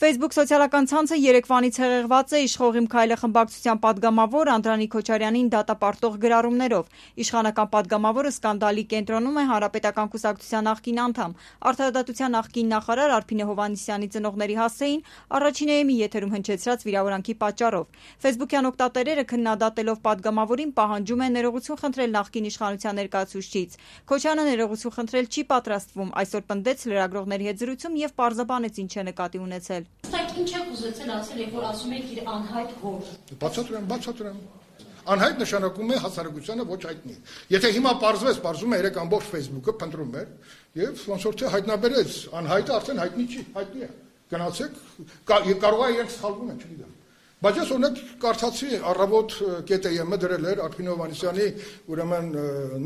Facebook սոցիալական ցանցը երեկվանից հեղեղված է իշխող Իմ Քայլը խմբակցության պատգամավոր Անդրանիկ Քոչարյանին դատապարտող գրառումներով։ Իշխանական պատգամավորը սկանդալի կենտրոնում է Հանրապետական կուսակցության նախկին անդամ, Արդարադատության նախկին նախարար Արփինե Հովհաննիսյանի ծնողների հասցեին առաջին էմի եթերում հնչեցրած վիրավորանքի պատճառով։ Facebook-յան օգտատերերը քննադատելով պատգամավորին պահանջում են ներողություն խնդրել նախկին իշխանության ներկայացուցչից։ Քոչարյանը ներողություն խնդրել չի պատրաստվում, այսօր պնդեց լրագրողների հետ զրույցում եւ պարզաբանեց ինչ է նկատի ունեցել։ Ինչ եք ուզեցել ասել, երբ որ ասում եք իր անհայտ հոր։ Բացատրեմ։ Անհայտ նշանակում է հասարակությանը ոչ հայտնի։ Եթե հիմա պարզվում է 3 ամբողջ Facebook-ը փնտրում էր եւ ոնց որ թե հայտնաբերեց, անհայտը արդեն հայտնի չի, հայտնի է։ Գնացեք, կարող է իրենք սխալվում են, չգիտեմ։ Բայց ես օրինակ կարդացի առավոտ ԿՏԵՄ-ը դրել էր Արփինե Հովհաննիսյանի ուրեմն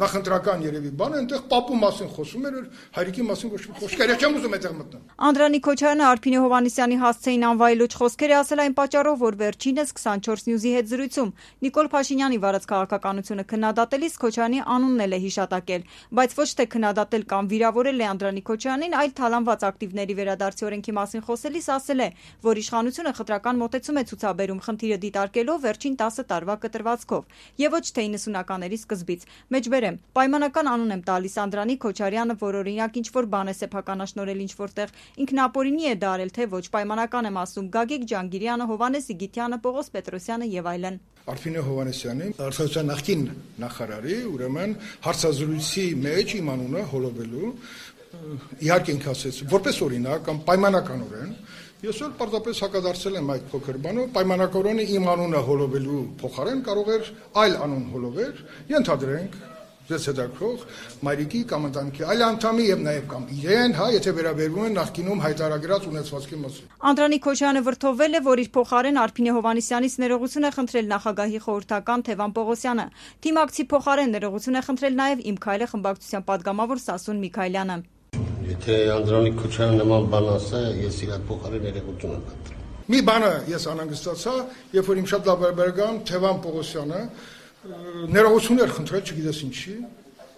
նախընտրական երևի բանը, այնտեղ պապու մասին խոսում էր, հայրիկի մասին ոչ մի խոսքեր չեմ ուզում այդտեղ մտնել։ Անդրանիկ Քոչարյանը Արփինե Հովհաննիսյանի հասցեին անվայելուչ խոսքեր է ասել այն պատճառով, որ վերջինս 24 News-ի հետ զրույցում Նիկոլ Փաշինյանի վարած քաղաքականությունը քննադատելիս Քոչարյանի անունն էլ է հիշատակել, բայց ոչ թե քննադատել կամ վիրավորել է Անդրանիկ Քոչարյանին, այլ թալանված ակտիվների վերադարձի օրենքի մասին խոսելիս ասել է, որ իշխանությունը խտրական մոտեցում է ցուցաբերում խնդիրը դիտարկելով վերջին 10 տարվա կտրվածքով եւ ոչ թե 90-ականների սկզբից։ Մեջբերեմ, պայմանական անուն եմ տալիս Անդրանիկ Քոչարյանը, որ օրինակ ինչ որ բան է սեփականաշնորել ինչ որտեղ ինքնապորինի է դարել, թե ոչ պայմանական եմ ասում Գագիկ Ջանգիրյանը, Հովհաննես Իգիթյանը, Պողոս Պետրոսյանը եւ այլն։ Արփինե Հովհաննիսյանի Արդարության նախկին նախարարի ուրեմն հարցազրույցի մեջ իմ անունը հոլովելու իհարկե ինքը ասեց որպես օրինակ կամ պայմանականորեն ես էլ պարզապես հակադարձել եմ այդ փոքր բանով պայմանականորեն իմ անունը հոլովելու փոխարեն կարող էր այլ անուն հոլովել ենթադրենք ձեզ հետաքրող մայրիկի կամ ընտանիքի այլ անդամի եւ նաեւ կամ իրեն, եթե վերաբերվում են նախկինում հայտարարած ունեցվածքի մասին։ Անդրանիկ Քոչարյանը վրթովվել է, որ իր փոխարեն Արփինե Հովհաննիսյանից ներողություն է խնդրել նախագահի խորհրդական Թևան Պողոսյանը։ Թիմակցի փոխարեն ներողություն է խնդրել նաեւ Իմ Քայլը խմբակցության պատգամավոր Սասուն Միքայելյանը։ Եթե Անդրանիկ Քոչարյանը նման բան ասա, ես իր փոխարեն ներողություն եմ խնդրել։ Մի բանը ես անհանգստացա, երբ որ իմ շատ լավ բարեկամ Թևան Պողոսյանը ներողություն էր խնդրել, չգիտես ինչի,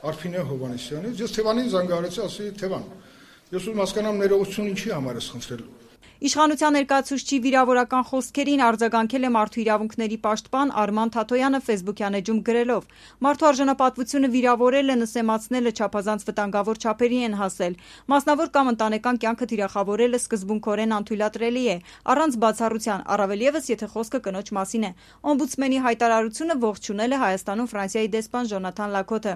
Արփինե Հովհաննիսյանից, ես Թևանին զանգահարեցի, ասի Թևան, ես ուզում հասկանամ ներողություն ինչի համար ես խնդրել։ Իշխանության ներկայացուցչի վիրավորական խոսքերին արձագանքել է Մարդու իրավունքների պաշտպան Արման Թաթոյանը Facebook-յան էջում գրելով. Մարդու արժանապատվությունը վիրավորելը, նսեմացնելը չափազանց վտանգավոր չափերի են հասել։ Մասնավոր կամ ընտանեկան կյանքը թիրախավորելը սկզբունքորեն անթույլատրելի է, առանց բացառության, առավել ևս եթե խոսքը կնոջ մասին է։ Օմբուդսմենի հայտարարությունը ողջունել է Հայաստանում Ֆրանսիայի դեսպան Ժոնաթան Լաքոթը։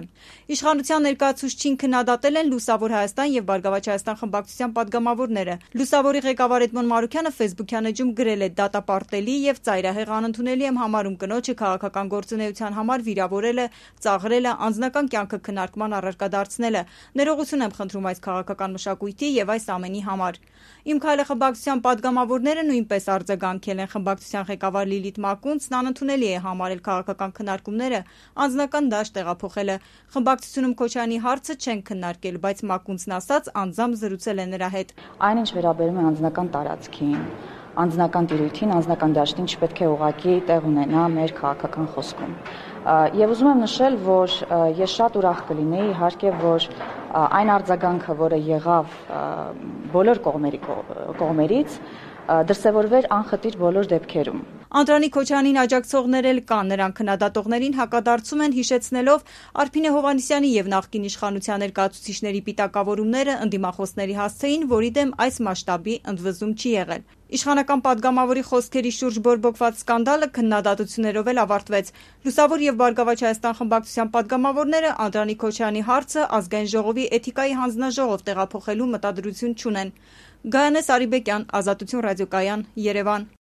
Իշխանության ներկայացուցչին քննադատել են Լուսավոր Հայաստան եւ Բարգավաճ Հայաստան խմբակցության պատգամավորները։ Լուսավորի ղեկավար Էդմոն Մարուկյանը Facebook-յան էջում գրել է. դատապարտելի եւ ծայրահեղ անընդունելի եմ համարում կնոջը քաղաքական գործունեության համար վիրավորելը, ծաղրելը, անձնական կյանքը քննարկման առարկա դարձնելը։ Ներողություն եմ խնդրում այս քաղաքական մշակույթի եւ այս ամենի համար։ Իմ Քայլը խմբակցության պատգամավորները նույնպես արձագանքել են խմբակցության ղեկավար Լիլիթ Մակունցն անընդունելի է համարել քաղաքական քննարկումները անձնական դաշտ տեղափոխելը։ Խմբակցությունում Քոչարյանի հարցը չեն քննարկել, բայց Մակունցն ասաց անձամբ զրուցել է նրա հետ։ Այնինչ վերաբերում է անձնական տարածքին, անձնական տիրույթին, անձնական դաշտին չպետք է ուղղակի տեղ ունենա մեր քաղաքական խոսքում։ Եվ ուզում եմ նշել, որ ես շատ ուրախ կլինեի, իհարկե, որ այն արձագանքը, որը եղավ բոլոր կողմերից, դրսևորվեր անխտիր բոլոր դեպքերում։ Անդրանիկ Քոչարյանին աջակցողներ էլ կան, նրանք քննադատողներին հակադարձում են հիշեցնելով Արփինե Հովհաննիսյանի եւ նախկին իշխանության ներկայացուցիչների պիտակավորումները ընդդիմախոսների հասցեին, որի դեմ այս մասշտաբի ընդվզում չի եղել։ Իշխանական պատգամավորի խոսքերի շուրջ բորբոքված սկանդալը քննադատություններով էլ ավարտվեց։ Լուսավոր եւ Բարգավաճ Հայաստան խմբակցության պատգամավորները Անդրանիկ Քոչարյանի հարցը ազգային ժողովի էթիկայի հանձնաժողով տեղափոխելու մտադրություն չունեն։ Գայանե Սարիբեկյան, Ազատություն ռադիոկայան, Երևան։